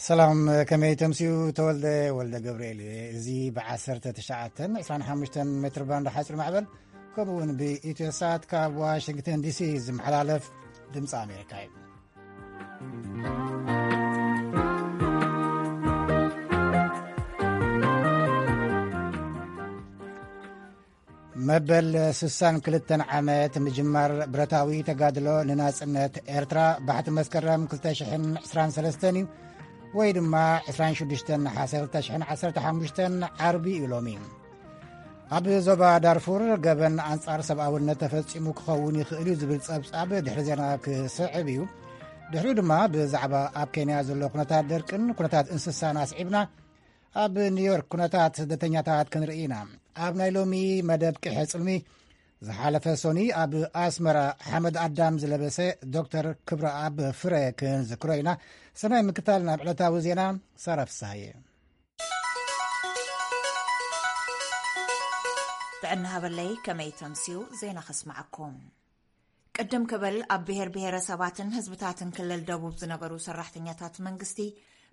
ሰላም፣ ከመይ ተምስዩ? ተወልደ ወልደ ገብርኤል እየ። እዚ ብ1925 ሜትር ባንድ ሓፂር ማዕበል፣ ከምኡ እውን ብኢትዮ ሳት ካብ ዋሽንግተን ዲሲ ዝመሓላለፍ ድምፂ ኣሜሪካ እዩ። መበል 62 ዓመት ምጅማር ብረታዊ ተጋድሎ ንናጽነት ኤርትራ ባሕቲ መስከረም 2023 እዩ፣ ወይ ድማ 26 ነሓሰ 2015 ዓርቢ እዩ ሎሚ። ኣብ ዞባ ዳርፉር ገበን ኣንጻር ሰብኣውነት ተፈጺሙ ክኸውን ይኽእል እዩ ዝብል ጸብጻብ ድሕሪ ዜና ክስዕብ እዩ። ድሕሪኡ ድማ ብዛዕባ ኣብ ኬንያ ዘሎ ኩነታት ደርቅን ኩነታት እንስሳን ኣስዒብና ኣብ ኒውዮርክ ኩነታት ስደተኛታት ክንርኢ ኢና። ኣብ ናይ ሎሚ መደብ ቅሐ ጽልሚ ዝሓለፈ ሶኒ ኣብ ኣስመራ ሓመድ ኣዳም ዝለበሰ ዶክተር ክብረኣብ ፍረ ክንዝክሮ ኢና። ሰናይ ምክታል ናብ ዕለታዊ ዜና ሳራ ፍስሃየ። ጥዕና ሃበለይ፣ ከመይ ተምስዩ? ዜና ከስምዓኩም። ቅድም ክብል ኣብ ብሄር ብሄረሰባትን ህዝብታትን ክልል ደቡብ ዝነበሩ ሰራሕተኛታት መንግስቲ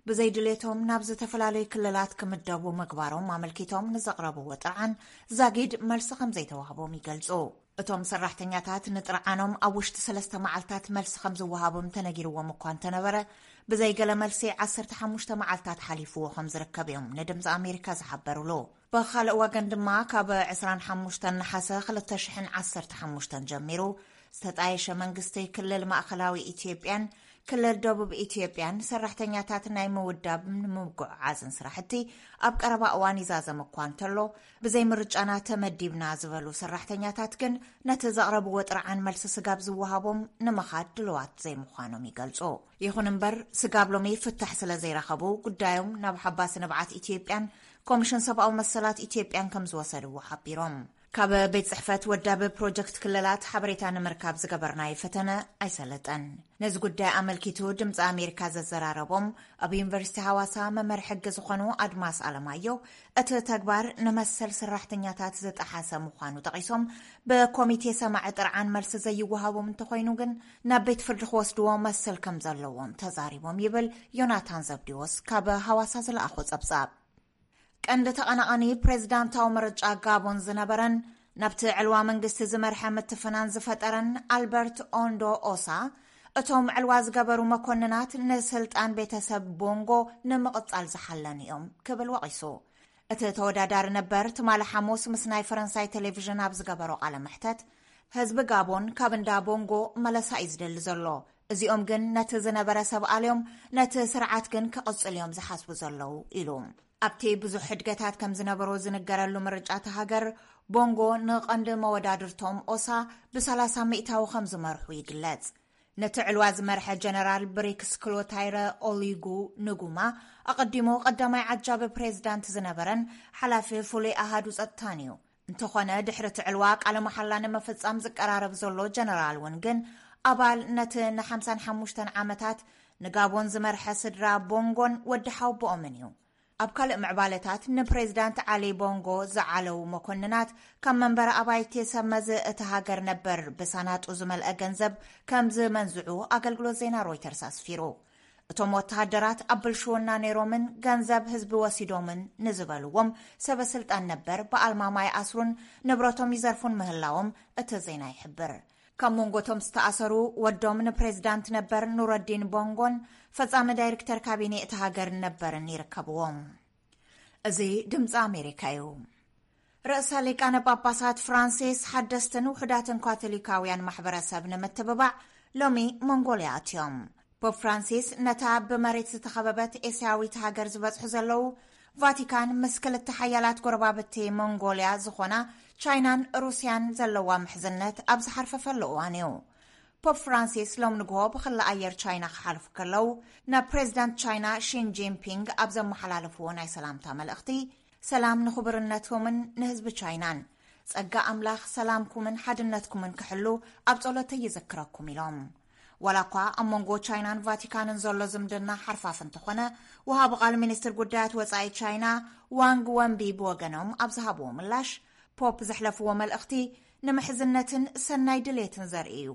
ብዘይድሌቶም ናብ ዝተፈላለዩ ክልላት ክምደቡ ምግባሮም ኣመልኪቶም ንዘቕረብዎ ጥርዓን ዛጊድ መልሲ ከም ዘይተዋህቦም ይገልጹ። እቶም ሰራሕተኛታት ንጥርዓኖም ኣብ ውሽጢ ሰለስተ መዓልታት መልሲ ከም ዝወሃቦም ተነጊርዎም እኳ እንተነበረ፣ ብዘይገለ መልሲ 15 መዓልታት ሓሊፍዎ ከም ዝርከብ እዮም ንድምፂ ኣሜሪካ ዝሓበሩሉ። ብኻልእ ወገን ድማ ካብ 25 ነሓሰ 2015 ጀሚሩ ዝተጣየሸ መንግስቲ ክልል ማእኸላዊ ኢትዮጵያን ክልል ደቡብ ኢትዮጵያን ሰራሕተኛታት ናይ ምውዳብን ምጉዕዓዝን ስራሕቲ ኣብ ቀረባ እዋን ይዛዘም እኳ እንተሎ፣ ብዘይ ምርጫና ተመዲብና ዝበሉ ሰራሕተኛታት ግን ነቲ ዘቕረብዎ ጥርዓን መልሲ ስጋብ ዝወሃቦም ንምኻድ ድልዋት ዘይምዃኖም ይገልጹ። ይኹን እምበር ስጋብ ሎሚ ፍታሕ ስለ ዘይረኸቡ ጉዳዮም ናብ ሓባሲ ንብዓት ኢትዮጵያን ኮሚሽን ሰብኣዊ መሰላት ኢትዮጵያን ከም ዝወሰድዎ ሓቢሮም። ካብ ቤት ጽሕፈት ወዳቢ ፕሮጀክት ክልላት ሓበሬታ ንምርካብ ዝገበርናዮ ፈተነ ኣይሰለጠን። ነዚ ጉዳይ ኣመልኪቱ ድምፂ ኣሜሪካ ዘዘራረቦም ኣብ ዩኒቨርሲቲ ሃዋሳ መምህር ሕጊ ዝኾኑ ኣድማስ ኣለማዮ፣ እቲ ተግባር ንመሰል ሰራሕተኛታት ዝጠሓሰ ምዃኑ ጠቒሶም፣ ብኮሚቴ ሰማዒ ጥርዓን መልሲ ዘይወሃቦም እንተኾይኑ ግን ናብ ቤት ፍርዲ ክወስድዎ መሰል ከም ዘለዎም ተዛሪቦም ይብል ዮናታን ዘብዲዎስ ካብ ሃዋሳ ዝለኣኾ ጸብጻብ። ቀንዲ ተቐናቓኒ ፕሬዝዳንታዊ ምርጫ ጋቦን ዝነበረን ናብቲ ዕልዋ መንግስቲ ዝመርሐ ምትፍናን ዝፈጠረን ኣልበርት ኦንዶ ኦሳ፣ እቶም ዕልዋ ዝገበሩ መኮንናት ንስልጣን ቤተሰብ ቦንጎ ንምቕጻል ዝሓለኑ እዮም ክብል ወቒሱ። እቲ ተወዳዳሪ ነበር ትማሊ ሓሙስ ምስ ናይ ፈረንሳይ ቴሌቪዥን ኣብ ዝገበሮ ቃለ መሕተት፣ ህዝቢ ጋቦን ካብ እንዳ ቦንጎ መለሳ እዩ ዝደሊ ዘሎ። እዚኦም ግን ነቲ ዝነበረ ሰብ ኣልዮም፣ ነቲ ስርዓት ግን ክቕጽል እዮም ዝሓስቡ ዘለዉ ኢሉ። ኣብቲ ብዙሕ ሕድገታት ከም ዝነበሮ ዝንገረሉ ምርጫ እታ ሃገር፣ ቦንጎ ንቐንዲ መወዳድርቶም ኦሳ ብ30 ሚእታዊ ከም ዝመርሑ ይግለጽ። ነቲ ዕልዋ ዝመርሐ ጀነራል ብሪክስ ክሎታይረ ኦሊጉ ንጉማ፣ ኣቐዲሙ ቀዳማይ ዓጃቢ ፕሬዝዳንት ዝነበረን ሓላፊ ፍሉይ ኣሃዱ ጸጥታን እዩ። እንተኾነ ድሕሪ እቲ ዕልዋ ቃለ መሓላ ንምፍጻም ዝቀራረብ ዘሎ ጀነራል እውን ግን ኣባል ነቲ ን55 ዓመታት ንጋቦን ዝመርሐ ስድራ ቦንጎን ወዲ ሓውቦኦምን እዩ። ኣብ ካልእ ምዕባለታት ንፕሬዝዳንት ዓሊ ቦንጎ ዝዓለዉ መኮንናት ካብ መንበሪ ኣባይቲ ሰብ መዚ እቲ ሃገር ነበር ብሳናጡ ዝመልአ ገንዘብ ከም ዝመንዝዑ ኣገልግሎት ዜና ሮይተርስ ኣስፊሩ። እቶም ወተሃደራት ኣብ ብልሽውና ነይሮምን ገንዘብ ህዝቢ ወሲዶምን ንዝበልዎም ሰበ ስልጣን ነበር ብኣልማማ ይኣስሩን ንብረቶም ይዘርፉን ምህላዎም እቲ ዜና ይሕብር። ካብ መንጎ እቶም ዝተኣሰሩ ወዶም ንፕሬዝዳንት ነበር ኑረዲን ቦንጎን ፈጻሚ ዳይሬክተር ካቢኔ እቲ ሃገር ነበርን ይርከብዎም። እዚ ድምፂ ኣሜሪካ እዩ። ርእሰ ሊቃነ ጳጳሳት ፍራንሲስ ሓደስትን ውሑዳትን ካቶሊካውያን ማሕበረሰብ ንምትብባዕ ሎሚ መንጎልያ ኣትዮም። ፖፕ ፍራንሲስ ነታ ብመሬት ዝተኸበበት ኤስያዊት ሃገር ዝበጽሑ ዘለዉ፣ ቫቲካን ምስ ክልተ ሓያላት ጎረባብቲ መንጎልያ ዝኾና ቻይናን ሩስያን ዘለዋ ምሕዝነት ኣብ ዝሓርፈፈሉ እዋን እዩ። ፖፕ ፍራንሲስ ሎም ንግሆ ብኽሊ ኣየር ቻይና ክሓልፉ ከለዉ፣ ናብ ፕሬዝዳንት ቻይና ሺን ጂንፒንግ ኣብ ዘመሓላለፍዎ ናይ ሰላምታ መልእኽቲ፣ ሰላም ንኽቡርነትኩምን ንህዝቢ ቻይናን፣ ጸጋ ኣምላኽ ሰላምኩምን ሓድነትኩምን ክሕሉ ኣብ ጸሎተይ ይዝክረኩም ኢሎም። ዋላ እኳ ኣብ መንጎ ቻይናን ቫቲካንን ዘሎ ዝምድና ሓርፋፍ እንተኾነ፣ ወሃቢ ቃል ሚኒስትር ጉዳያት ወጻኢ ቻይና ዋንግ ወንቢ ብወገኖም ኣብ ዝሃብዎ ምላሽ፣ ፖፕ ዘሕለፍዎ መልእኽቲ ንምሕዝነትን ሰናይ ድሌትን ዘርኢ እዩ።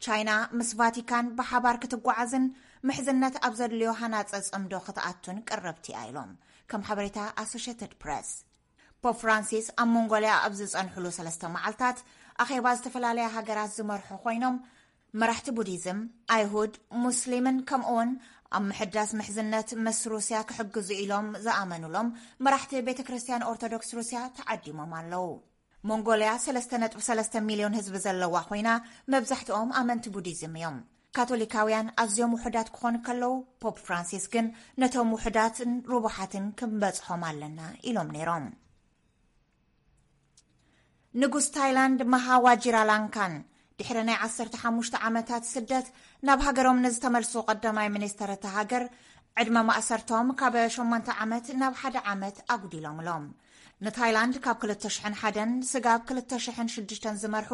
ቻይና ምስ ቫቲካን ብሓባር ክትጓዓዝን ምሕዝነት ኣብ ዘድልዮ ሃናጸ ጽምዶ ክትኣቱን ቅርብቲ እያ ኢሎም፣ ከም ሓበሬታ ኣሶሽትድ ፕረስ። ፖፕ ፍራንሲስ ኣብ ሞንጎልያ ኣብ ዝጸንሕሉ ሰለስተ መዓልታት ኣኼባ ዝተፈላለያ ሃገራት ዝመርሑ ኮይኖም፣ መራሕቲ ቡዲዝም፣ ኣይሁድ፣ ሙስሊምን ከምኡውን ኣብ ምሕዳስ ምሕዝነት ምስ ሩስያ ክሕግዙ ኢሎም ዝኣመኑሎም መራሕቲ ቤተ ክርስቲያን ኦርቶዶክስ ሩስያ ተዓዲሞም ኣለዉ። ሞንጎልያ ሰለስተ ነጥቢ ሰለስተ ሚልዮን ህዝቢ ዘለዋ ኮይና፣ መብዛሕትኦም ኣመንቲ ቡዲዝም እዮም። ካቶሊካውያን ኣዝዮም ውሑዳት ክኾኑ ከለዉ፣ ፖፕ ፍራንሲስ ግን ነቶም ውሑዳትን ርቡሓትን ክንበጽሖም ኣለና ኢሎም ነይሮም። ንጉስ ታይላንድ ማሃ ዋጂራላንካን ድሕሪ ናይ ዓሰርተ ሓሙሽተ ዓመታት ስደት ናብ ሃገሮም ንዝተመልሱ ቀዳማይ ሚኒስተር እታ ሃገር፣ ዕድመ ማእሰርቶም ካብ ሸሞንተ ዓመት ናብ ሓደ ዓመት ኣጉዲሎምሎም። ንታይላንድ ካብ ክልተ ሽሕን ሓደን ስጋብ ክልተ ሽሕን ሽዱሽተን ዝመርሑ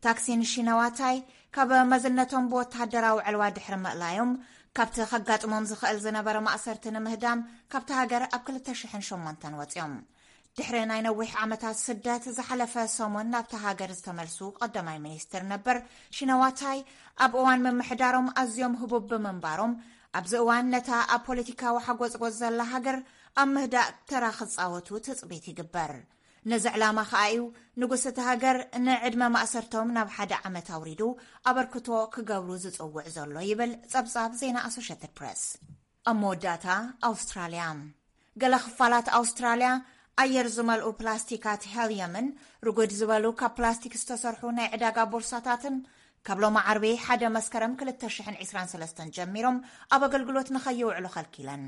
ታክሲን ሺነዋታይ፣ ካብ መዝነቶም ብወተሃደራዊ ዕልዋ ድሕሪ ምእላዮም፣ ካብቲ ከጋጥሞም ዝኽእል ዝነበረ ማእሰርቲ ንምህዳም ካብቲ ሃገር ኣብ ክልተ ሽሕን ሸሞንተን ወጺኦም። ድሕሪ ናይ ነዊሕ ዓመታት ስደት ዝሓለፈ ሰሙን ናብቲ ሃገር ዝተመልሱ ቀዳማይ ሚኒስትር ነበር ሺነዋታይ፣ ኣብ እዋን ምምሕዳሮም ኣዝዮም ህቡብ ብምንባሮም፣ ኣብዚ እዋን ነታ ኣብ ፖለቲካዊ ሓጎጽጎጽ ዘላ ሃገር ኣብ ምህዳእ ተራ ክጻወቱ ትጽቢት ይግበር። ነዚ ዕላማ ከኣ እዩ ንጉስ እቲ ሃገር ንዕድመ ማእሰርቶም ናብ ሓደ ዓመት ኣውሪዱ ኣበርክቶ ክገብሩ ዝጽውዕ ዘሎ ይብል ጸብጻብ ዜና ኣሶሽትድ ፕረስ። ኣብ መወዳእታ ኣውስትራልያ። ገለ ክፋላት ኣውስትራልያ ኣየር ዝመልኡ ፕላስቲካት ሄልየምን ርጉድ ዝበሉ ካብ ፕላስቲክ ዝተሰርሑ ናይ ዕዳጋ ቦርሳታትን ካብ ሎሚ ዓርቢ ሓደ መስከረም ክልተ ሽሕን ዕስራን ሰለስተን ጀሚሮም ኣብ ኣገልግሎት ንኸይውዕሉ ከልኪለን።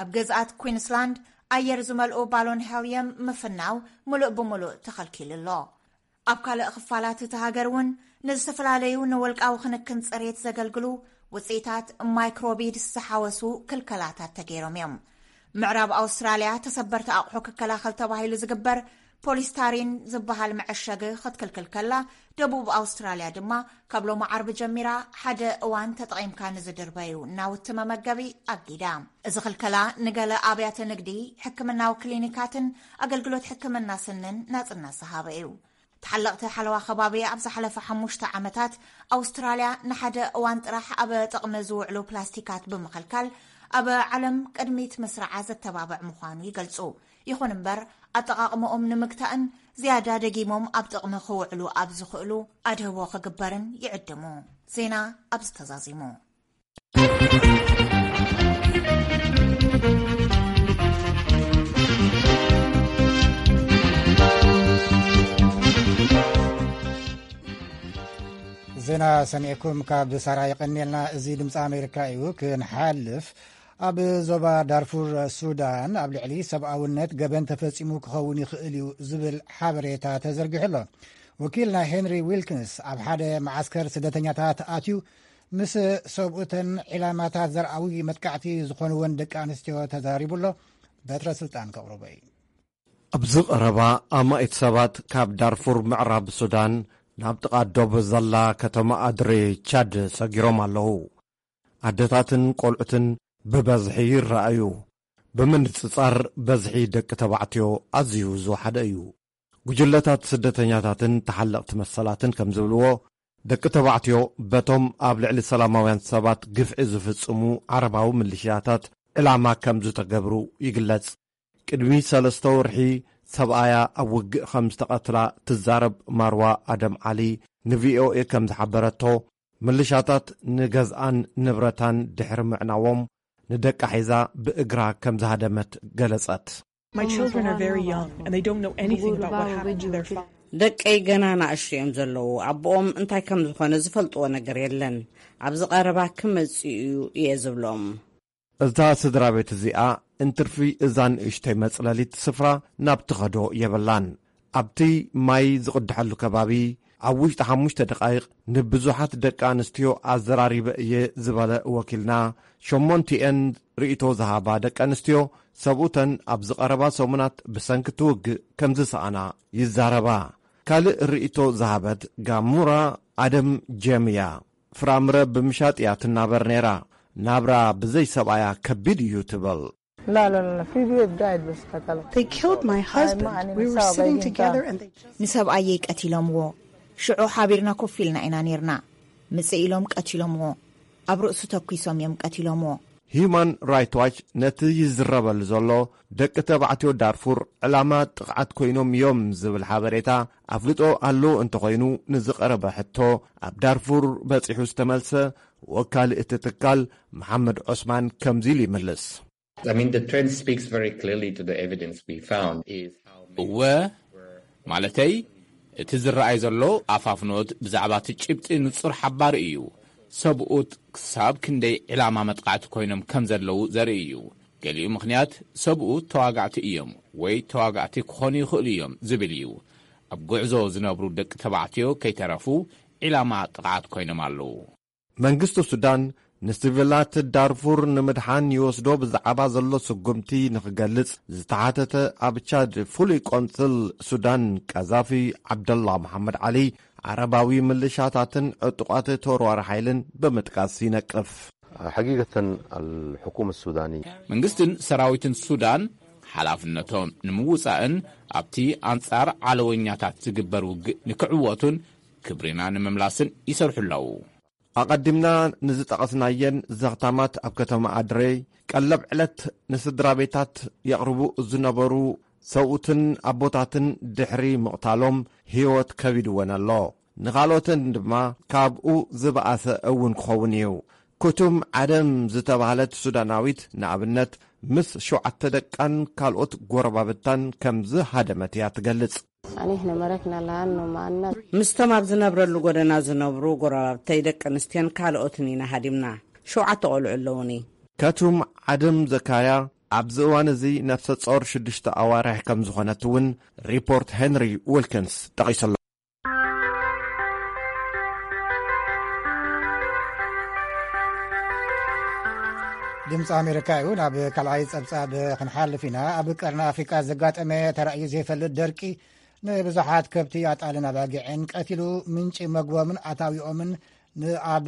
ኣብ ግዝኣት ኩንስላንድ ኣየር ዝመልኡ ባሎን ሄልየም ምፍናው ምሉእ ብምሉእ ተኸልኪሉ ኣሎ። ኣብ ካልእ ክፋላት እቲ ሃገር እውን ንዝተፈላለዩ ንውልቃዊ ክንክን ጽሬት ዘገልግሉ ውጽኢታት ማይክሮቢድስ ዝሓወሱ ክልከላታት ተገይሮም እዮም። ምዕራብ ኣውስትራልያ ተሰበርቲ ኣቑሑ ክከላኸል ተባሂሉ ዝግበር ፖሊስታሪን ዝበሃል መዐሸጊ ክትክልክል ከላ፣ ደቡብ ኣውስትራልያ ድማ ካብ ሎሚ ዓርቢ ጀሚራ ሓደ እዋን ተጠቒምካ ንዝድርበዩ ናውቲ መመገቢ ኣጊዳ። እዚ ክልከላ ንገለ ኣብያተ ንግዲ፣ ሕክምናዊ ክሊኒካትን ኣገልግሎት ሕክምና ስንን ናጽነት ዝሃበ እዩ። ተሓለቕቲ ሓለዋ ከባቢ ኣብ ዝሓለፈ ሓሙሽተ ዓመታት ኣውስትራልያ ንሓደ እዋን ጥራሕ ኣብ ጥቕሚ ዝውዕሉ ፕላስቲካት ብምኽልካል ኣብ ዓለም ቅድሚት ምስራዓ ዘተባብዕ ምዃኑ ይገልጹ። ይኹን እምበር፣ ኣጠቓቕመኦም ንምግታእን ዝያዳ ደጊሞም ኣብ ጥቕሚ ክውዕሉ ኣብ ዝኽእሉ ኣድህቦ ክግበርን ይዕድሙ። ዜና ኣብዚ ተዛዚሙ። ዜና ሰሚዕኩም ካብ ሳራ የቐንየልና። እዚ ድምፂ ኣሜሪካ እዩ። ክንሓልፍ፣ ኣብ ዞባ ዳርፉር ሱዳን ኣብ ልዕሊ ሰብኣውነት ገበን ተፈጺሙ ክኸውን ይኽእል እዩ ዝብል ሓበሬታ ተዘርጊሑ ኣሎ። ወኪልና ሄንሪ ዊልኪንስ ኣብ ሓደ መዓስከር ስደተኛታት ኣትዩ ምስ ሰብኡተን ዒላማታት ዘርኣዊ መጥቃዕቲ ዝኾንወን ደቂ ኣንስትዮ ተዛሪቡ ኣሎ። በትረ ስልጣን ከቕርቦ እዩ። ኣብዚ ቀረባ ኣማኢት ሰባት ካብ ዳርፉር ምዕራብ ሱዳን ናብ ጥቓ ዶብ ዘላ ከተማ ኣድሬ ቻድ ሰጊሮም ኣለዉ። ኣደታትን ቆልዑትን ብበዝሒ ይረኣዩ። ብምንጽጻር በዝሒ ደቂ ተባዕትዮ ኣዝዩ ዝወሓደ እዩ። ጉጅለታት ስደተኛታትን ተሓለቕቲ መሰላትን ከም ዝብልዎ፣ ደቂ ተባዕትዮ በቶም ኣብ ልዕሊ ሰላማውያን ሰባት ግፍዒ ዝፍጽሙ ዓረባዊ ምልሽያታት ዕላማ ከም ዝተገብሩ ይግለጽ። ቅድሚ ሰለስተ ወርሒ ሰብኣያ ኣብ ውግእ ከም ዝተቐትላ ትዛረብ ማርዋ ኣደም ዓሊ ንቪኦኤ ከም ዝሓበረቶ፣ ምልሻታት ንገዝኣን ንብረታን ድሕሪ ምዕናዎም፣ ንደቃ ሒዛ ብእግራ ከም ዝሃደመት ገለጸት። My children are very young and they don't know anything about what happened to their father. ደቀይ ገና ንኣሽቱ እዮም ዘለዉ። ኣቦኦም እንታይ ከም ዝኾነ ዝፈልጥዎ ነገር የለን። ኣብዚ ቀረባ ክመጽእ እዩ እየ ዝብሎም። እዛ ስድራ ቤት እዚኣ እንትርፊ እዛ ንእሽተይ መጽለሊት ስፍራ ናብ ትኸዶ የብላን። ኣብቲ ማይ ዝቕድሐሉ ከባቢ ኣብ ውሽጢ ሓሙሽተ ደቓይቕ ንብዙሓት ደቂ ኣንስትዮ ኣዘራሪበ እየ ዝበለ ወኪልና፣ ሸሞንቲኤን ርእይቶ ዝሃባ ደቂ ኣንስትዮ ሰብኡተን ኣብዚ ቀረባ ሰሙናት ብሰንኪ እቲ ውግእ ከም ዝሰኣና ይዛረባ። ካልእ ርእይቶ ዝሃበት ጋሙራ ኣደም ጀምያ፣ ፍራምረ ብምሻጥ እያ ትናበር ነይራ። ናብራ ብዘይ ሰብኣያ ከቢድ እዩ ትብል። لا لا لا لا، في بيت قاعد بس قتلت. They killed my husband. We were sitting together and they just ንሰብኣየይ ቀቲሎምዎ። ሽዑ ሓቢርና ኮፍ ኢልና ኢና ነይርና። ምጽእ ኢሎም ቀቲሎምዎ። ኣብ ርእሱ ተኲሶም እዮም ቀቲሎምዎ። ሂዩማን ራይት ዋች ነቲ ይዝረበሉ ዘሎ ደቂ ተባዕትዮ ዳርፉር ዕላማ ጥቕዓት ኮይኖም እዮም ዝብል ሓበሬታ ኣፍልጦ ኣሎ እንተኾይኑ፣ ንዝቐረበ ሕቶ ኣብ ዳርፉር በጺሑ ዝተመልሰ ወካሊ እቲ ትካል መሓመድ ዑስማን ከምዚ ኢሉ ይምልስ። I mean, the trend speaks very clearly to the evidence we found is how many እወ፣ ማለተይ እቲ ዝረኣይ ዘሎ ኣፋፍኖት ብዛዕባ እቲ ጭብጢ ንጹር ሓባሪ እዩ። ሰብኡት ክሳብ ክንደይ ዕላማ መጥቃዕቲ ኮይኖም ከም ዘለዉ ዘርኢ እዩ። ገሊኡ ምኽንያት ሰብኡት ተዋጋእቲ እዮም ወይ ተዋጋእቲ ክኾኑ ይኽእሉ እዮም ዝብል እዩ። ኣብ ጉዕዞ ዝነብሩ ደቂ ተባዕትዮ ከይተረፉ ዒላማ ጥቕዓት ኮይኖም ኣለዉ። መንግስቲ ሱዳን ንሲቪላት ዳርፉር ንምድሓን ይወስዶ ብዛዕባ ዘሎ ስጉምቲ ንኽገልጽ ዝተሓተተ ኣብ ቻድ ፍሉይ ቆንስል ሱዳን ቀዛፊ ዓብደላ መሓመድ ዓሊ፣ ዓረባዊ ምልሻታትን ዕጡቓት ተወርዋሪ ሓይልን ብምጥቃስ ይነቅፍ። حقيقة الحكومة السودانية መንግስትን ሰራዊትን ሱዳን ሓላፍነቶም ንምውጻእን ኣብቲ ኣንጻር ዓለወኛታት ዝግበር ውግእ ንክዕወቱን ክብሪና ንምምላስን ይሰርሑ ኣለዉ። ኣቐዲምና ንዝጠቐስናየን ዘኽታማት ኣብ ከተማ ኣድሬ ቀለብ ዕለት ንስድራ ቤታት የቕርቡ ዝነበሩ ሰብኡትን ኣቦታትን ድሕሪ ምቕታሎም ህይወት ከቢድወን ኣሎ። ንኻልኦተን ድማ ካብኡ ዝበኣሰ እውን ክኸውን እዩ። ኩቱም ዓደም ዝተባህለት ሱዳናዊት ንኣብነት ምስ ሸውዓተ ደቃን ካልኦት ጎረባብታን ከም ዝሃደመት እያ ትገልጽ። Ani hna marak na lahan no maanna. ምስቶም ኣብ ዝነብረሉ ጎደና ዝነብሩ ጎረባብተይ ደቂ ኣንስትዮን ካልኦትን ኢና ሃዲምና። ሸውዓተ ቆልዑ ኣለውኒ። ከቱም ዓደም ዘካርያ ኣብዚ እዋን እዚ ነፍሰ ጾር ሽዱሽተ ኣዋርሕ ከም ዝኾነት እውን ሪፖርት ሄንሪ ዊልኪንስ ጠቒሱ ኣሎ። ድምፂ ኣሜሪካ እዩ። ናብ ካልኣይ ፀብፃብ ክንሓልፍ ኢና። ኣብ ቀርኒ ኣፍሪካ ዘጋጠመ ተራእዩ ዘይፈልጥ ደርቂ ንብዙሓት ከብቲ ኣጣልን ኣባጊዕን ቀቲሉ ምንጪ መግቦምን ኣታዊኦምን ንኣብ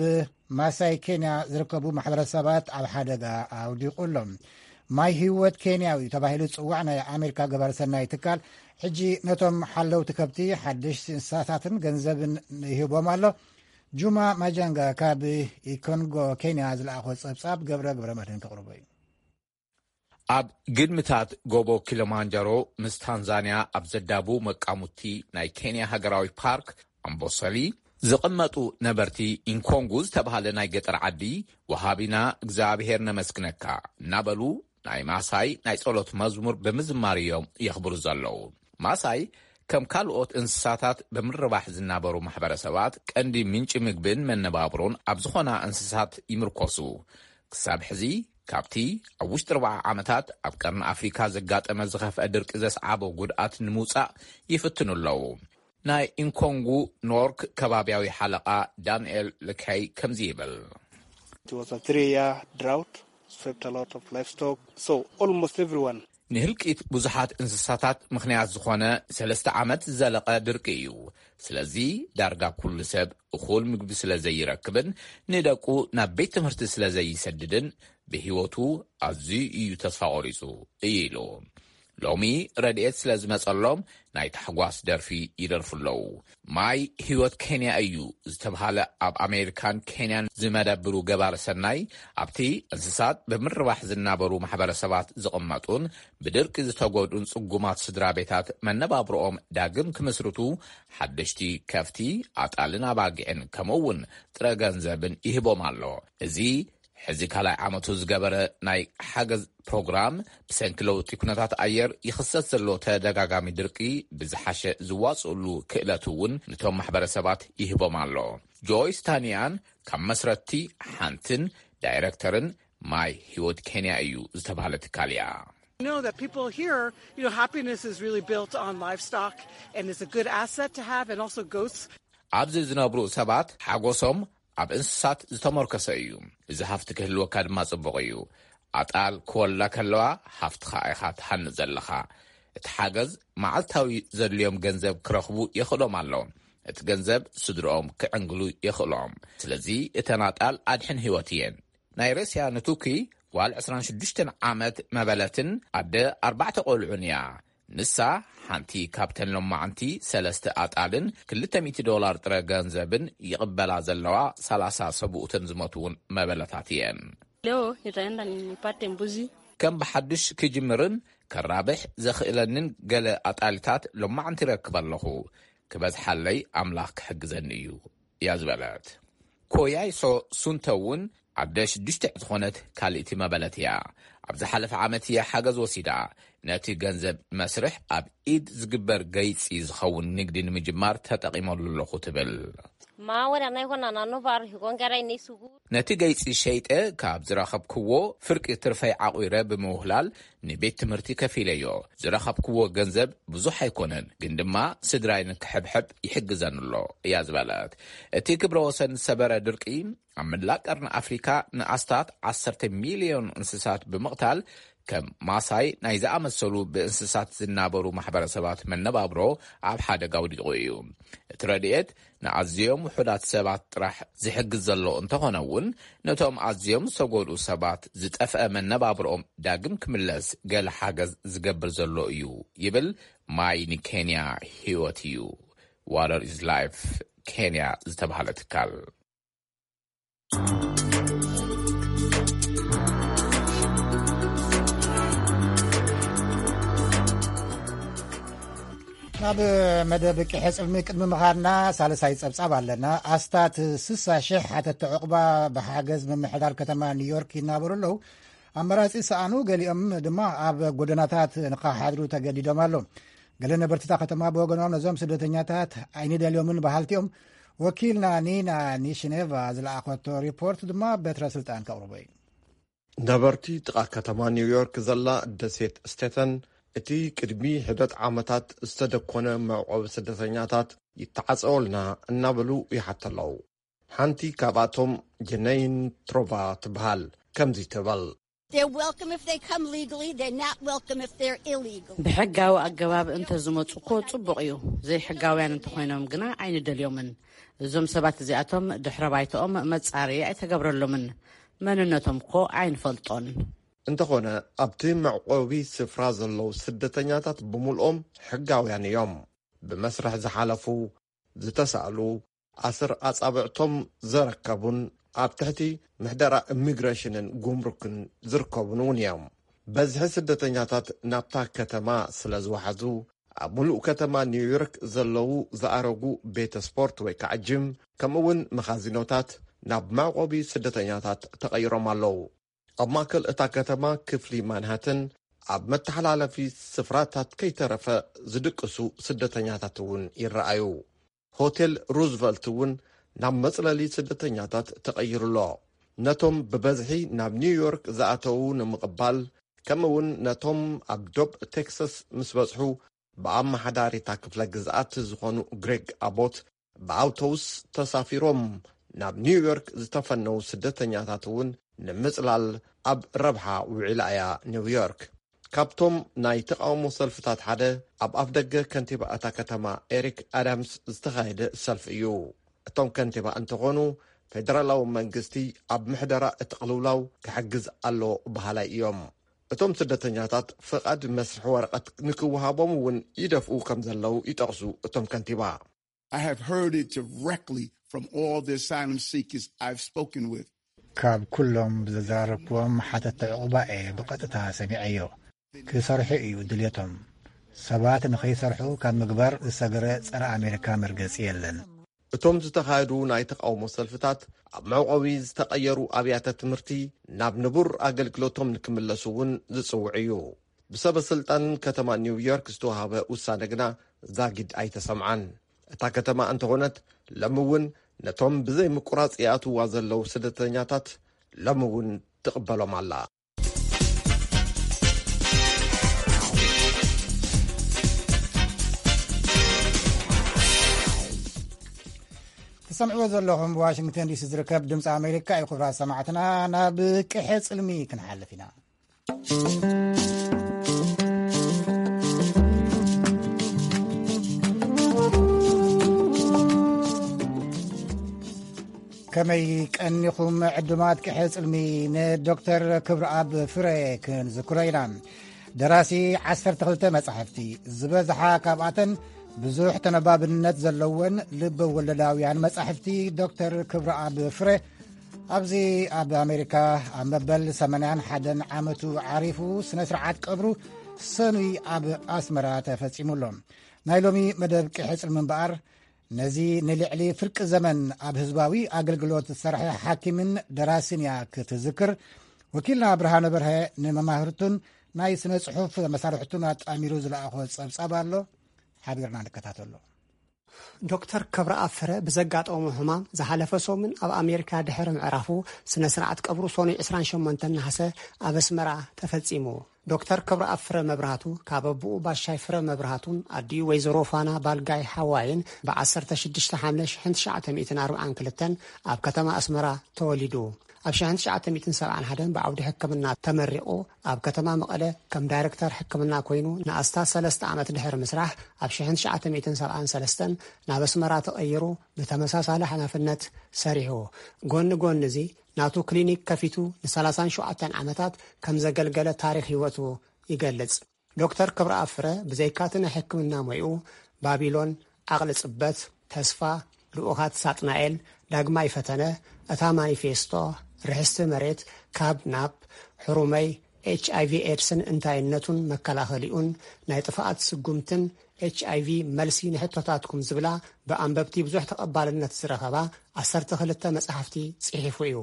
ማሳይ ኬንያ ዝርከቡ ማሕበረሰባት ኣብ ሓደጋ ኣውዲቑ ኣሎ። ማይ ህይወት ኬንያዊ ተባሂሉ ዝፅዋዕ ናይ ኣሜሪካ ገባር ሰናይ ትካል ሕጂ ነቶም ሓለውቲ ከብቲ ሓደሽቲ እንስሳታትን ገንዘብን ይህቦም ኣሎ። ጁማ ማጃንጋ ካብ ኢኮንጎ ኬንያ ዝለኣኾ ፀብፃብ ገብረ ገብረ መድህን ከቕርቦ እዩ። ኣብ ግድምታት ጎቦ ኪሎማንጃሮ ምስ ታንዛንያ ኣብ ዘዳቡ መቃሙቲ ናይ ኬንያ ሃገራዊ ፓርክ ኣምቦሰሊ ዝቕመጡ ነበርቲ ኢንኮንጉ ዝተባሃለ ናይ ገጠር ዓዲ፣ ወሃቢና እግዚኣብሔር ነመስግነካ እናበሉ ናይ ማሳይ ናይ ጸሎት መዝሙር ብምዝማር እዮም የኽብሩ ዘለዉ። ማሳይ ከም ካልኦት እንስሳታት ብምርባሕ ዝናበሩ ማሕበረሰባት ቀንዲ ምንጪ ምግብን መነባብሮን ኣብ ዝኾና እንስሳት ይምርኮሱ። ክሳብ ሕዚ ካብቲ ኣብ ውሽጢ ኣርብዓ ዓመታት ኣብ ቀርኒ ኣፍሪካ ዘጋጠመ ዝኸፍአ ድርቂ ዘስዓቦ ጉድኣት ንምውፃእ ይፍትኑ ኣለዉ። ናይ ኢንኮንጉ ኖርክ ከባቢያዊ ሓለቓ ዳንኤል ልካይ ከምዚ ይብል። It was a three-year drought, swept a lot of livestock, so almost everyone. ንህልቂት ብዙሓት እንስሳታት ምኽንያት ዝኾነ ሰለስተ ዓመት ዝዘለቐ ድርቂ እዩ። ስለዚ ዳርጋ ኩሉ ሰብ እኹል ምግቢ ስለ ዘይረክብን ንደቁ ናብ ቤት ትምህርቲ ስለ ዘይሰድድን ብህይወቱ ኣዝዩ እዩ ተስፋ ቆሪጹ እዩ ኢሉ። ሎሚ ረድኤት ስለ ዝመጸሎም ናይ ታሕጓስ ደርፊ ይደርፉ ኣለዉ። ማይ ህይወት ኬንያ እዩ ዝተብሃለ ኣብ ኣሜሪካን ኬንያን ዝመደብሩ ገባር ሰናይ ኣብቲ እንስሳት ብምርባሕ ዝናበሩ ማሕበረሰባት ዝቕመጡን ብድርቂ ዝተጎድኡን ጽጉማት ስድራ ቤታት መነባብሮኦም ዳግም ክምስርቱ ሓደሽቲ ከፍቲ ኣጣልን ኣባጊዕን ከምኡ እውን ጥረ ገንዘብን ይህቦም ኣሎ። እዚ ሕዚ ካልኣይ ዓመቱ ዝገበረ ናይ ሓገዝ ፕሮግራም ብሰንኪ ለውጢ ኩነታት ኣየር ይኽሰት ዘሎ ተደጋጋሚ ድርቂ ብዝሓሸ ዝዋፅእሉ ክእለት እውን ነቶም ማሕበረሰባት ይህቦም ኣሎ። ጆይስ ታንያን ካብ መስረትቲ ሓንትን ዳይረክተርን ማይ ህይወት ኬንያ እዩ ዝተባህለ ትካል እያ። Know that people here, you know, happiness is really built on livestock and is a good asset to have, and also goats. ኣብዚ ዝነብሩ ሰባት ሓጎሶም ኣብ እንስሳት ዝተመርኮሰ እዩ። እዚ ሃፍቲ ክህልወካ ድማ ጽቡቕ እዩ። ኣጣል ክወልዳ ከለዋ ሃፍትኻ ኢኻ ትሃንጽ ዘለኻ። እቲ ሓገዝ መዓልታዊ ዘድልዮም ገንዘብ ክረኽቡ የኽእሎም ኣሎ። እቲ ገንዘብ ስድርኦም ክዕንግሉ የኽእሎም። ስለዚ እተን ኣጣል ኣድሕን ህይወት እየን። ናይ ሩስያ ንቱኪ ጓል ዕስራን ሽዱሽተን ዓመት መበለትን ኣደ ኣርባዕተ ቆልዑን እያ። ንሳ ሓንቲ ካብተን ሎማዓንቲ ሰለስተ ኣጣልን ክልተ ሚእቲ ዶላር ጥረ ገንዘብን ይቕበላ ዘለዋ ሰላሳ ሰብኡትን ዝሞትውን መበለታት እየን። Leo nitaenda nipate mbuzi. ከም ብሓድሽ ክጅምርን ከራብሕ ዘኽእለንን ገለ ኣጣልታት ሎማዓንቲ ይረክብ ኣለኹ። ክበዝሓለይ ኣምላኽ ክሕግዘኒ እዩ እያ ዝበለት። ኮያይሶ ሱንተ እውን ኣደ ሽዱሽተ ዝኾነት ካልእቲ መበለት እያ። ኣብ ዝሓለፈ ዓመት እያ ሓገዝ ወሲዳ። ነቲ ገንዘብ መስርሕ ኣብ ኢድ ዝግበር ገይጺ ዝኸውን ንግዲ ንምጅማር ተጠቒመሉ ኣለኹ ትብል። Maawara naikona nanovaar hikongerai neisugu. ነቲ ገይጺ ሸይጠ ካብ ዝረኸብክዎ ፍርቂ ትርፈይ ዓቑረ ብምውህላል ንቤት ትምህርቲ ከፊለዮ። ዝረኸብክዎ ገንዘብ ብዙሕ ኣይኮነን፣ ግን ድማ ስድራይ ንክሕብሕብ ይሕግዘን ኣሎ እያ ዝበለት። እቲ ክብረ ወሰን ዝሰበረ ድርቂ ኣብ መላእ ቀርኒ ኣፍሪካ ንኣስታት ዓሰርተ ሚልዮን እንስሳት ብምቕታል፣ ከም ማሳይ ናይ ዝኣመሰሉ ብእንስሳት ዝናበሩ ማሕበረሰባት መነባብሮ ኣብ ሓደጋ ኣውዲቑ እዩ። እቲ ረድኤት ንኣዝዮም ውሑዳት ሰባት ጥራሕ ዝሕግዝ ዘሎ እንተኾነ እውን፣ ነቶም ኣዝዮም ዝተጎድኡ ሰባት ዝጠፍአ መነባብሮኦም ዳግም ክምለስ ገለ ሓገዝ ዝገብር ዘሎ እዩ ይብል። ማይ ንኬንያ ህይወት እዩ፣ Water is Life ኬንያ ዝተባህለ ትካል። ናብ መደብ ቅሐ ጽልሚ ቅድሚ ምኻድና ሳልሳይ ጸብጻብ ኣለና። ኣስታት ስሳ ሽሕ ሓተቲ ዕቑባ ብሓገዝ ምምሕዳር ከተማ ኒውዮርክ ይናበሩ ኣለዉ። ኣመራጺ ሰኣኑ፣ ገሊኦም ድማ ኣብ ጎደናታት ንኸሓድሩ ተገዲዶም ኣለዉ። ገለ ነበርትታ ከተማ ብወገኖም ነዞም ስደተኛታት ኣይንደልዮምን በሃልቲኦም። ወኪልና ኒና ኒሽኔቫ ዝለኣኸቶ ሪፖርት ድማ በትረ ስልጣን ከቕርቦ እዩ። ነበርቲ ጥቓ ከተማ ኒውዮርክ ዘላ ደሴት ስቴተን፣ እቲ ቅድሚ ሕደት ዓመታት ዝተደኮነ መዕቆቢ ስደተኛታት ይተዓጸወልና እናበሉ ይሓተለዉ። ሓንቲ ካብኣቶም ጀነይን ትሮቫ ትበሃል። ከምዚ ትብል። They're welcome if they come legally, they're not welcome if they're illegal. ብሕጋዊ ኣገባብ እንተ ዝመጹ እኮ ጽቡቕ እዩ። ዘይሕጋውያን እንተኾይኖም ግና ኣይንደልዮምን። እዞም ሰባት እዚኣቶም ድሕረ ባይታኦም መጻረዪ ኣይተገብረሎምን። መንነቶም እኮ ኣይንፈልጦን። እንተኾነ ኣብቲ መዕቆቢ ስፍራ ዘለዉ ስደተኛታት ብምልኦም ሕጋውያን እዮም። ብመስርሕ ዝሓለፉ፣ ዝተሳእሉ፣ ኣስር ኣጻብዕቶም ዘረከቡን ኣብ ትሕቲ ምሕደራ ኢሚግሬሽንን ጉምሩክን ዝርከቡን እውን እዮም። በዝሒ ስደተኛታት ናብታ ከተማ ስለ ዝወሓዙ፣ ኣብ ምሉእ ከተማ ኒውዮርክ ዘለዉ ዝኣረጉ ቤተ ስፖርት ወይ ከዓ ጅም፣ ከምኡ እውን መኻዚኖታት ናብ መዕቆቢ ስደተኛታት ተቐይሮም ኣለዉ። ኣብ ማእከል እታ ከተማ ክፍሊ ማንሃተን ኣብ መተሓላለፊ ስፍራታት ከይተረፈ ዝድቅሱ ስደተኛታት እውን ይረኣዩ። ሆቴል ሩዝቨልት እውን ናብ መጽለሊ ስደተኛታት ተቐይሩ ኣሎ። ነቶም ብበዝሒ ናብ ኒውዮርክ ዝኣተዉ ንምቕባል፣ ከምኡ እውን ነቶም ኣብ ዶብ ቴክሳስ ምስ በጽሑ ብኣመሓዳሪታ ክፍለ ግዝኣት ዝኾኑ ግሬግ ኣቦት ብኣውቶቡስ ተሳፊሮም ናብ ኒውዮርክ ዝተፈነዉ ስደተኛታት እውን ንምጽላል ኣብ ረብሓ ውዒላ እያ ኒውዮርክ። ካብቶም ናይ ተቓውሞ ሰልፍታት ሓደ ኣብ ኣፍደገ ከንቲባ እታ ከተማ ኤሪክ ኣዳምስ ዝተኻየደ ሰልፊ እዩ። እቶም ከንቲባ እንተኾኑ፣ ፌደራላዊ መንግስቲ ኣብ ምሕደራ እቲ ቅልውላው ክሕግዝ ኣለዎ በሃላይ እዮም። እቶም ስደተኛታት ፍቓድ መስርሒ ወረቐት ንክወሃቦም እውን ይደፍኡ ከም ዘለዉ ይጠቕሱ እቶም ከንቲባ። I have heard it directly from all the asylum seekers I've spoken with. ካብ ኩሎም ዘዘራረብክዎም ሓተቲ ዕቑባ እየ ብቐጥታ ሰሚዐዮ። ክሰርሑ እዩ ድልየቶም። ሰባት ንኸይሰርሑ ካብ ምግባር ዝሰገረ ጸረ ኣሜሪካ መርገጺ የለን። እቶም ዝተኻየዱ ናይ ተቓውሞ ሰልፍታት ኣብ መዕቆቢ ዝተቐየሩ ኣብያተ ትምህርቲ ናብ ንቡር ኣገልግሎቶም ንክምለሱ እውን ዝጽውዕ እዩ። ብሰበ ስልጣን ከተማ ኒውዮርክ ዝተዋሃበ ውሳነ ግና ዛጊድ ኣይተሰምዓን። እታ ከተማ እንተኾነት ሎሚ እውን ነቶም ብዘይ ምቁራጽ ይኣትዋ ዘለዉ ስደተኛታት ሎሚ እውን ትቕበሎም ኣላ። ትሰምዕዎ ዘለኹም ብዋሽንግተን ዲሲ ዝርከብ ድምፂ ኣሜሪካ እዩ። ክቡራት ሰማዕትና፣ ናብ ቅሐ ፅልሚ ክንሓልፍ ኢና። ከመይ ቀኒኹም ዕዱማት ቅሐ ጽልሚ? ንዶክተር ክብረኣብ ፍረ ክንዝክሮ ኢና። ደራሲ ዓሰርተ ክልተ መጻሕፍቲ፣ ዝበዝሓ ካብኣተን ብዙሕ ተነባብነት ዘለወን ልብ ወለዳውያን መጻሕፍቲ ዶክተር ክብረኣብ ፍረ፣ ኣብዚ ኣብ ኣሜሪካ ኣብ መበል ሰማንያን ሓደን ዓመቱ ዓሪፉ፣ ስነ ስርዓት ቀብሩ ሰኑይ ኣብ ኣስመራ ተፈጺሙ ኣሎ። ናይ ሎሚ መደብ ቅሕጽሪ ምንባር፣ ነዚ ንልዕሊ ፍርቂ ዘመን ኣብ ህዝባዊ ኣገልግሎት ዝሰርሐ ሓኪምን ደራስን እያ ክትዝክር። ወኪልና ብርሃነ በርሀ ንመማህርቱን ናይ ስነ ጽሑፍ መሳርሕቱን ኣጣሚሩ ዝለኣኾ ጸብጻብ ኣሎ። ሓቢርና ንከታተሎ። ዶክተር ክብረኣብ ፍረ ብዘጋጠሞ ሕማም ዝሓለፈ ሰሙን ኣብ ኣሜሪካ ድሕሪ ምዕራፉ፣ ስነ ስርዓት ቀብሩ ሰኑይ ዕስራን ሸሞንተን ነሓሰ ኣብ ኣስመራ ተፈጺሙ። ዶክተር ክብረኣብ ፍረ መብራህቱ ካብ ኣቦኡ ባሻይ ፍረ መብራህቱን ኣዲኡ ወይዘሮ ፋና ባልጋይ ሓዋይን ብ ዓሰርተ ሽዱሽተ ሓምለ ሽሕን ትሽዓተ ሚእትን ኣርባዓን ክልተን ኣብ ከተማ ኣስመራ ተወሊዱ። ኣብ ሽሕን ትሽዓተ ሚእትን ሰብዓን ሓደን ብዓውዲ ሕክምና ተመሪቑ ኣብ ከተማ መቐለ ከም ዳይረክተር ሕክምና ኮይኑ ንኣስታት ሰለስተ ዓመት ድሕሪ ምስራሕ፣ ኣብ ሽሕን ትሽዓተ ሚእትን ሰብዓን ሰለስተን ናብ ኣስመራ ተቐይሩ ብተመሳሳሊ ሓላፍነት ሰሪሑ። ጎኒ ጎኒ እዚ፣ ናቱ ክሊኒክ ከፊቱ ንሰላሳን ሸውዓተን ዓመታት ከም ዘገልገለ ታሪኽ ህይወቱ ይገልጽ። ዶክተር ክብረኣብ ፍረ ብዘይካቲ ናይ ሕክምና ሞይኡ፣ ባቢሎን፣ ዓቕሊ ጽበት፣ ተስፋ፣ ልኡኻት ሳጥናኤል፣ ዳግማይ ፈተነ፣ እታ ማኒፌስቶ፣ ርሕስቲ መሬት፣ ካብ ናብ፣ ሕሩመይ፣ ኤች ኣይ ቪ ኤድስን እንታይነቱን መከላኸሊኡን፣ ናይ ጥፍኣት ስጉምትን ኤች ኣይ ቪ መልሲ ንሕቶታትኩም ዝብላ ብኣንበብቲ ብዙሕ ተቐባልነት ዝረኸባ ዓሰርተ ክልተ መጻሕፍቲ ጽሒፉ እዩ።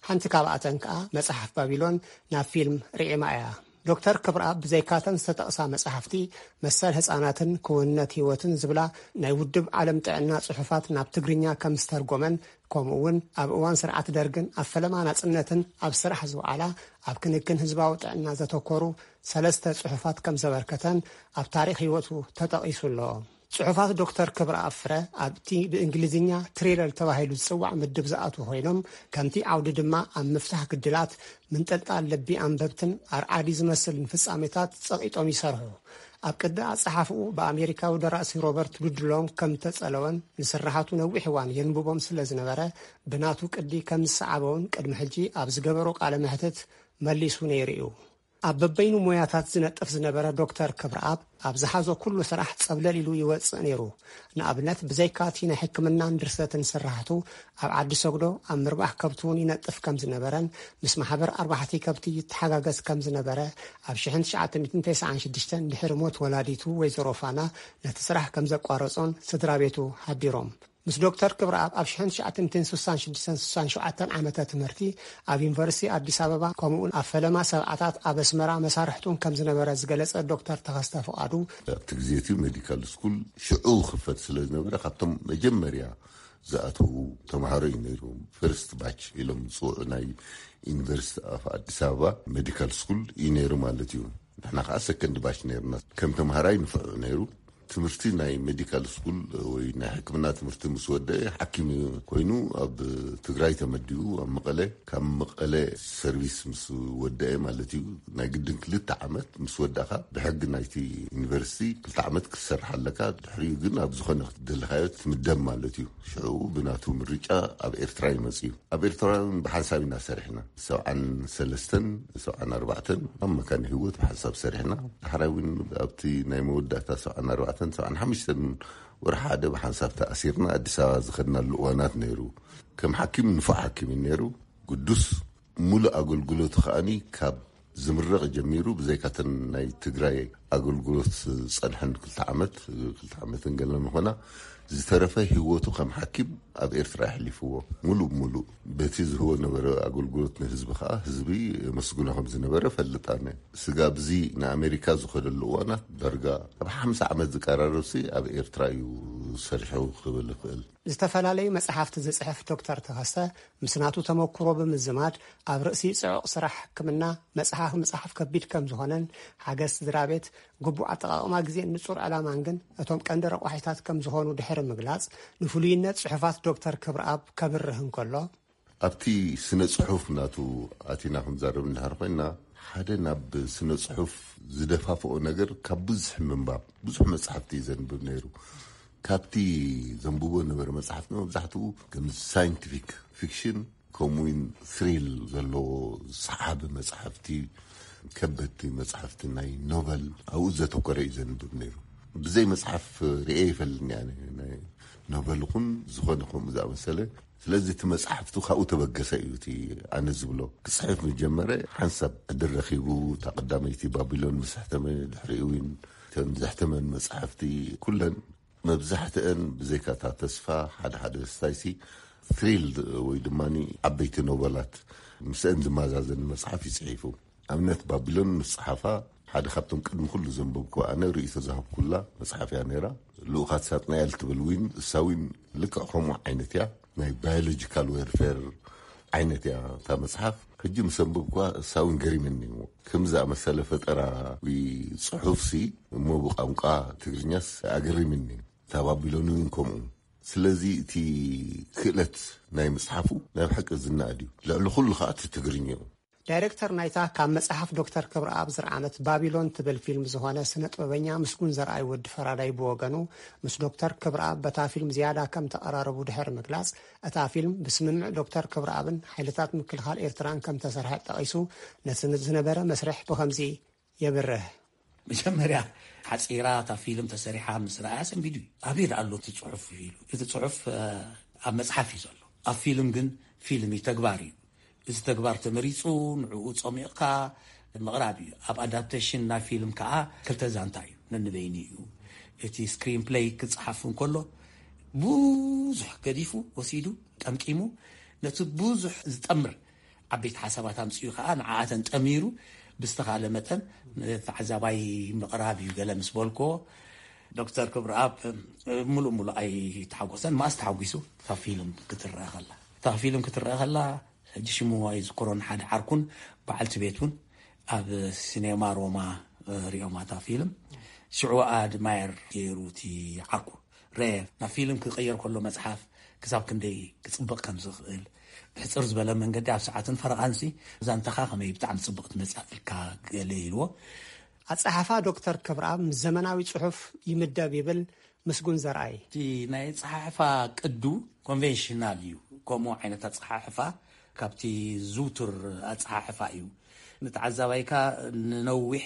ሓንቲ ካብኣተን ከኣ መጽሓፍ ባቢሎን ናብ ፊልም ርዒማ እያ። ዶክተር ክብረኣብ ብዘይካተን ዝተጠቕሳ መጻሕፍቲ፣ መሰል ህጻናትን ክውንነት ህይወትን ዝብላ ናይ ውድብ ዓለም ጥዕና ጽሑፋት ናብ ትግርኛ ከም ዝተርጎመን፣ ከምኡ እውን ኣብ እዋን ስርዓት ደርግን ኣብ ፈለማ ናጽነትን ኣብ ስራሕ ዝወዓላ ኣብ ክንክን ህዝባዊ ጥዕና ዘተኮሩ ሰለስተ ጽሑፋት ከም ዘበርከተን ኣብ ታሪኽ ህይወቱ ተጠቒሱ ኣሎ። ጽሑፋት ዶክተር ክብረኣብ ፍረ ኣብቲ ብእንግሊዝኛ ትሪለር ተባሂሉ ዝጽዋዕ ምድብ ዝኣትዉ ኮይኖም፣ ከምቲ ዓውዲ ድማ ኣብ ምፍታሕ ግድላት፣ ምንጥልጣል ልቢ ኣንበብትን ኣርዓዲ ዝመስልን ፍጻሜታት ጸቒጦም ይሰርሑ። ኣብ ቅዲ ኣጸሓፍኡ ብኣሜሪካዊ ደራሲ ሮበርት ሉድሎው ከም ተጸለወን ንስርሓቱ ነዊሕ እዋን የንብቦም ስለ ዝነበረ፣ ብናቱ ቅዲ ከም ዝሰዓበውን ቅድሚ ሕጂ ኣብ ዝገበሮ ቃለ መሕትት መሊሱ ነይሩ እዩ። ኣብ በበይኑ ሞያታት ዝነጥፍ ዝነበረ ዶክተር ክብረኣብ፣ ኣብ ዝሓዞ ኩሉ ስራሕ ጸብለል ኢሉ ይወጽእ ነይሩ። ንኣብነት፣ ብዘይካ እቲ ናይ ሕክምናን ድርሰትን ስራሕቱ፣ ኣብ ዓዲ ሰግዶ ኣብ ምርባሕ ከብቲ እውን ይነጥፍ ከም ዝነበረን፣ ምስ ማሕበር ኣርባሕቲ ከብቲ ይተሓጋገዝ ከም ዝነበረ፣ ኣብ ሽሕን ትሽዓተ ሚእትን ተስዓን ሽዱሽተን ድሕሪ ሞት ወላዲቱ ወይዘሮ ፋና ነቲ ስራሕ ከም ዘቋረጾን ስድራ ቤቱ ሓቢሮም። ምስ ዶክተር ክብረኣብ ኣብ ሽሕን ትሽዓተ ሚእትን ስሳን ሽዱሽተን ስሳን ሸውዓተን ዓመተ ትምህርቲ ኣብ ዩኒቨርሲቲ ኣዲስ ኣበባ፣ ከምኡውን ኣብ ፈለማ ሰብዓታት ኣብ ኣስመራ መሳርሕቱን ከም ዝነበረ ዝገለጸ ዶክተር ተኸስተ ፍቓዱ፣ ኣብቲ ግዜ እቲ ሜዲካል ስኩል ሽዑ ክፈት ስለ ዝነበረ፣ ካብቶም መጀመርያ ዝኣተዉ ተምሃሮ እዩ ነይሩ። ፈርስት ባች ኢሎም ዝፅውዑ ናይ ዩኒቨርሲቲ ኣፍ ኣዲስ ኣበባ ሜዲካል ስኩል እዩ ነይሩ ማለት እዩ። ንሕና ከዓ ሰከንድ ባች ነይርና። ከም ተምሃራይ ንፍዑ ነይሩ። ትምህርቲ ናይ ሜዲካል ስኩል ወይ ናይ ሕክምና ትምህርቲ ምስ ወደአ፣ ሓኪም ኮይኑ ኣብ ትግራይ ተመዲቡ፣ ኣብ መቐለ። ካብ መቐለ ሰርቪስ ምስ ወደአ ማለት እዩ፣ ናይ ግድን ክልተ ዓመት ምስ ወዳእካ፣ ብሕጊ ናይቲ ዩኒቨርሲቲ ክልተ ዓመት ክትሰርሕ ኣለካ። ድሕሪኡ ግን ኣብ ዝኾነ ክትደለኻዮ ትምደብ ማለት እዩ። ሽዑ ብናቱ ምርጫ ኣብ ኤርትራ ይመጽእ እዩ። ኣብ ኤርትራ እውን ብሓንሳብ ኢና ሰሪሕና። ሰብዓን ሰለስተን፣ ሰብዓን ኣርባዕተን ኣብ መካነ ህይወት ብሓንሳብ ሰሪሕና። ዳሕራይ እውን ኣብቲ ናይ መወዳእታ ሰብዓን ኣርባዕተን፣ ሰብዓን ሓሙሽተን ወርሒ ሓደ ብሓንሳብ ተኣሲርና ኣዲስ ኣበባ ዝኸድናሉ እዋናት ነይሩ። ከም ሓኪም ንፉዕ ሓኪም እዩ ነይሩ። ግዱስ፣ ሙሉእ ኣገልግሎቱ ከኣኒ ካብ ዝምረቕ ጀሚሩ፣ ብዘይካተን ናይ ትግራይ ኣገልግሎት ዝጸንሐን ክልተ ዓመት፣ ክልተ ዓመትን ገለን ምኾና፣ ዝተረፈ ህይወቱ ከም ሓኪም ኣብ ኤርትራ የሕሊፍዎ። ሙሉእ ብሙሉእ በቲ ዝህቦ ነበረ ኣገልግሎት ንህዝቢ ከኣ፣ ህዝቢ የመስግኖ ከም ዝነበረ እፈልጥ ኣነ። ስጋብ እዚ ንኣሜሪካ ዝኸደሉ እዋናት፣ ዳርጋ ኣብ ሓምሳ ዓመት ዝቀራረብሲ ኣብ ኤርትራ እዩ ሰሪሑ ክብል እኽእል። ዝተፈላለዩ መጽሓፍቲ ዝጽሕፍ ዶክተር ተኸስተ፣ ምስ ናቱ ተመኩሮ ብምዝማድ፣ ኣብ ርእሲ ጽዑቕ ስራሕ ሕክምና መጽሓፍ ምጽሓፍ ከቢድ ከም ዝኾነን፣ ሓገዝ ስድራ ቤት፣ ግቡእ ኣጠቓቕማ ግዜን ንጹር ዕላማን ግን እቶም ቀንዲ ረቋሒታት ከም ዝኾኑ ድሕሪ ምግላጽ፣ ንፍሉይነት ጽሑፋት ዶክተር ክብረኣብ ከብርህ እንከሎ፣ ኣብቲ ስነ ጽሑፍ ናቱ ኣቲና ክንዛረብ እንድሕር ኮይና፣ ሓደ ናብ ስነ ጽሑፍ ዝደፋፍኦ ነገር ካብ ብዙሕ ምንባብ፣ ብዙሕ መጽሓፍቲ እዩ ዘንብብ ነይሩ። ካብቲ ዘንብቦ ነበረ መጽሓፍቲ መብዛሕትኡ ከም ሳይንቲፊክ ፊክሽን፣ ከምኡውን ስሪል ዘለዎ ሰሓቢ መጽሓፍቲ፣ ከበድቲ መጽሓፍቲ ናይ ኖቨል ኣብኡ ዘተኮረ እዩ ዘንብብ ነይሩ። ብዘይ መጽሓፍ ርእየ ይፈልኒ ኣነ ናይ ኖቨል ኹን ዝኾነ ከምኡ ዝኣመሰለ። ስለዚ እቲ መጽሓፍቱ ካብኡ ተበገሰ እዩ እቲ ኣነ ዝብሎ። ክጽሕፍ ምስ ጀመረ ሓንሳብ ዕድል ረኺቡ፣ እታ ቀዳመይቲ ባቢሎን ምስ ሕተመ፣ ድሕሪኡ እውን እተን ዘሕተመን መጽሓፍቲ ኩለን መብዛሕትአን ብዘይካ እታ ተስፋ ሓደ ሓደ ስታይሲ ትሪል ወይ ድማ ዓበይቲ ኖቨላት ምስአን ዝመዛዘን መጽሓፍ ይጽሒፉ። ኣብነት ባቢሎን ምስ ጸሓፋ ሓደ ካብቶም ቅድሚ ኩሉ ዘንበብኩ ኣነ ርእይቶ ዝሃብኩላ መጽሓፍ እያ ነይራ። ልኡኻት ሳጥናኤል ትብል ዊን እሳ ዊን ልክዕ ከምኡ ዓይነት እያ። ናይ ባዮሎጂካል ዌርፌር ዓይነት እያ እታ መጽሓፍ። ሕጂ ምስ ኣንበብኩዋ እሳ ዊን ገሪመኒ እሞ ከም ዝኣመሰለ ፈጠራ ጽሑፍሲ እሞ ብቋንቋ ትግርኛስ ኣገሪምኒ። እታ ባቢሎን እውን ከምኡ። ስለዚ እቲ ክእለት ናይ መጽሓፉ ናይ ብሓቂ ዝነኣድ እዩ። ልዕሊ ኩሉ ከዓ እቲ ትግርኛኡ። ዳይሬክተር ናይታ ካብ መጽሓፍ ዶክተር ክብረኣብ ዝረዓመት ባቢሎን ትብል ፊልም ዝኾነ ስነ ጥበበኛ ምስጉን ዘርኣይ ወዲ ፈራዳይ ብወገኑ ምስ ዶክተር ክብረኣብ በታ ፊልም ዝያዳ ከም ተቐራረቡ ድሕሪ ምግላጽ፣ እታ ፊልም ብስምምዕ ዶክተር ክብረኣብን ሓይልታት ምክልኻል ኤርትራን ከም ተሰርሐ ጠቒሱ፣ ነቲ ዝነበረ መስርሕ ብኸምዚ የብርህ። መጀመርያ ሓፂራ እታ ፊልም ተሰሪሓ ምስ ረኣያ ሰንቢዱ እዩ። ኣበይ ደኣ ኣሎ እቲ ፅሑፍ ኢሉ። እቲ ፅሑፍ ኣብ መፅሓፍ እዩ ዘሎ። ኣብ ፊልም ግን ፊልም እዩ፣ ተግባር እዩ። እዚ ተግባር ተመሪፁ ንዕኡ ፀሚቕካ ምቕራብ እዩ። ኣብ ኣዳፕቴሽን ናይ ፊልም ከዓ ክልተ ዛንታ እዩ፣ ነንበይኑ እዩ። እቲ ስክሪን ፕሌይ ክፀሓፍ እንከሎ ብዙሕ ገዲፉ ወሲዱ ጠምጢሙ ነቲ ብዙሕ ዝጠምር ዓበይቲ ሓሳባት ኣምፅኡ ከዓ ንዓኣተን ጠሚሩ ብዝተኻለ መጠን ንተዓዛባይ ምቕራብ እዩ። ገለ ምስ በልኮ ዶክተር ክብረኣብ ሙሉእ ሙሉእ ኣይተሓጎሰን። ማስ ተሓጒሱ እታ ፊልም ክትረአ ከላ እታ ፊልም ክትረአ ከላ ሕጂ ሽሙ ኣይዝክሮን ሓደ ዓርኩን በዓልቲ ቤት እውን ኣብ ሲኔማ ሮማ ሪኦማ እታ ፊልም ሽዑ ኣድማየር ገይሩ እቲ ዓርኩ ረ ናብ ፊልም ክቐየር ከሎ መፅሓፍ ክሳብ ክንደይ ክፅብቕ ከም ዝኽእል ብሕፅር ዝበለ መንገዲ ኣብ ሰዓትን ፈረቓንሲ ዛንታኻ ከመይ ብጣዕሚ ፅብቕ ትመፅእ ኢልካ ገለ ኢልዎ። ኣፀሓፋ ዶክተር ክብረኣብ ምስ ዘመናዊ ፅሑፍ ይምደብ ይብል ምስጉን ዘርኣይ። እቲ ናይ ኣፀሓሕፋ ቅዱ ኮንቬንሽናል እዩ። ከምኡ ዓይነት ኣፀሓሕፋ ካብቲ ዝውቱር ኣፀሓሕፋ እዩ። ንተዓዛባይካ ንነዊሕ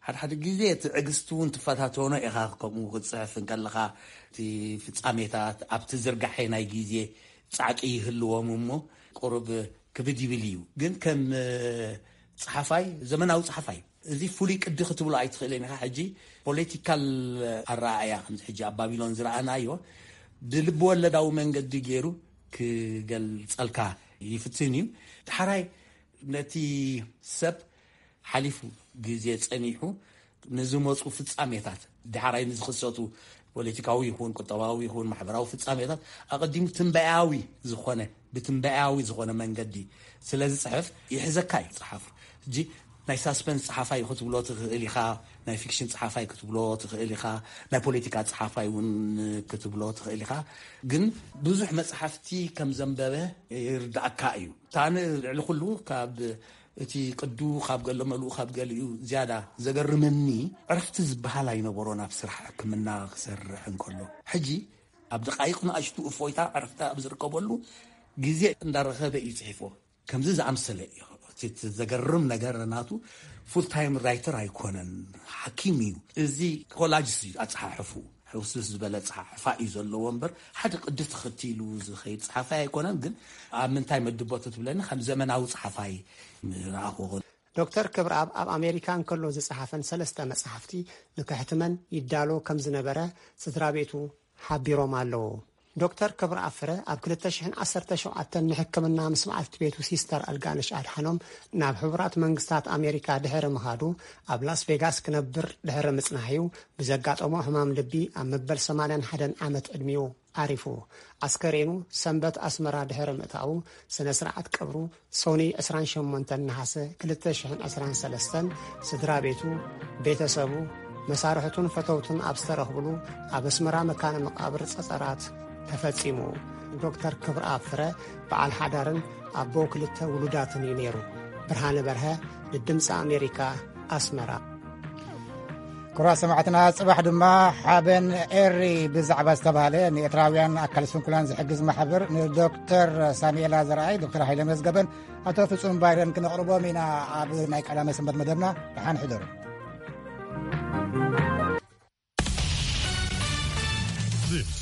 ሓደ ሓደ ግዜ ትዕግስቲ እውን ትፈታተኖ ኢኻ። ከምኡ ክትፅሕፍ እንከለኻ እቲ ፍፃሜታት ኣብቲ ዝርጋሐ ናይ ግዜ ፃዕቂ ይህልዎም እሞ ቁሩብ ክብድ ይብል እዩ። ግን ከም ፀሓፋይ ዘመናዊ ፀሓፋይ እዚ ፍሉይ ቅዲ ክትብሎ ኣይትኽእልን ኢኻ። ሕጂ ፖለቲካል ኣረኣእያ ከምዚ ሕጂ ኣብ ባቢሎን ዝረኣናዮ ብልቢ ወለዳዊ መንገዲ ገይሩ ክገልፀልካ ይፍትን እዩ። ዳሕራይ ነቲ ሰብ ሓሊፉ ግዜ ጸኒሑ ንዝመፁ ፍጻሜታት ዳሕራይ ንዝኽሰቱ ፖለቲካዊ ይኹን ቁጠባዊ ይኹን ማሕበራዊ ፍጻሜታት ኣቐዲሙ ትንበያዊ ዝኾነ ብትንበያዊ ዝኾነ መንገዲ ስለ ዝፅሕፍ ይሕዘካ እዩ ፀሓፉ። ሕጂ ናይ ሳስፐንስ ፀሓፋይ ክትብሎ ትኽእል ኢኻ፣ ናይ ፊክሽን ፀሓፋይ ክትብሎ ትኽእል ኢኻ፣ ናይ ፖለቲካ ፀሓፋይ እውን ክትብሎ ትኽእል ኢኻ። ግን ብዙሕ መፅሓፍቲ ከም ዘንበበ ይርዳእካ እዩ። ታን ልዕሊ ኩሉ ካብ እቲ ቅዱ ካብ ገለ መልኡ ካብ ገሊኡ ዝያዳ ዘገርመኒ ዕረፍቲ ዝበሃል ኣይነበሮን ኣብ ስራሕ ሕክምና ክሰርሕ እንከሎ። ሕጂ ኣብ ደቃይቕ ንኣሽቱ እፎይታ ዕረፍቲ ኣብ ዝርከበሉ ግዜ እንዳረኸበ እዩ ፅሒፎ። ከምዚ ዝኣምሰለ እዩ። እቲ ዘገርም ነገር ናቱ ፉል ታይም ራይተር ኣይኮነን፣ ሓኪም እዩ። እዚ ኮላጅስ እዩ ኣፀሓሕፉ ሕውስስ ዝበለ ፀሓሕፋ እዩ ዘለዎ እምበር ሓደ ቅዲ ተኸቲሉ ዝኸይድ ፀሓፋይ ኣይኮነን። ግን ኣብ ምንታይ መድቦ ትብለኒ ከም ዘመናዊ ፀሓፋይ ረኣኽዎ። ዶክተር ክብረኣብ ኣብ ኣሜሪካ እንከሎ ዝጸሓፈን ሰለስተ መጻሕፍቲ ንከሕትመን ይዳሎ ከም ዝነበረ ስድራ ቤቱ ሓቢሮም ኣለዉ። ዶክተር ክብረኣብ ፍረ ኣብ ክልተ ሽሕን ዓሰርተ ሸውዓተን ንሕክምና ምስ በዓልቲ ቤቱ ሲስተር ኣልጋነሽ ኣድሓኖም ናብ ሕቡራት መንግስታት ኣሜሪካ ድሕሪ ምኻዱ ኣብ ላስ ቬጋስ ክነብር ድሕሪ ምጽናሕ'ዩ ብዘጋጠሞ ሕማም ልቢ ኣብ መበል ሰማንያን ሓደን ዓመት ዕድሚኡ ዓሪፉ። ኣስከሬኑ ሰንበት ኣስመራ ድሕሪ ምእታዉ ስነ ስርዓት ቀብሩ ሶኒ ዕስራን ሸሞንተን ነሓሰ ክልተ ሽሕን ዕስራን ሰለስተን ስድራ ቤቱ፣ ቤተሰቡ፣ መሳርሕቱን ፈተውቱን ኣብ ዝተረኽብሉ ኣብ ኣስመራ መካነ መቃብር ጸጸራት ተፈጺሙ። ዶክተር ክብረኣብ ፍረ በዓል ሓዳርን ኣቦ ክልተ ውሉዳትን እዩ ነይሩ። ብርሃነ በርሀ ንድምፂ ኣሜሪካ ኣስመራ። ክቡራት ሰማዕትና፣ ጽባሕ ድማ ሓበን ኤሪ ብዛዕባ ዝተባህለ ንኤርትራውያን ኣካል ስንኩላን ዝሕግዝ ማሕበር ንዶክተር ሳሙኤላ ዘርኣይ፣ ዶክተር ሃይለ መዝገበን ኣቶ ፍጹም ባይረን ክነቕርቦም ኢና ኣብ ናይ ቀዳመ ሰንበት መደብና። ደሓን ሕደሩ።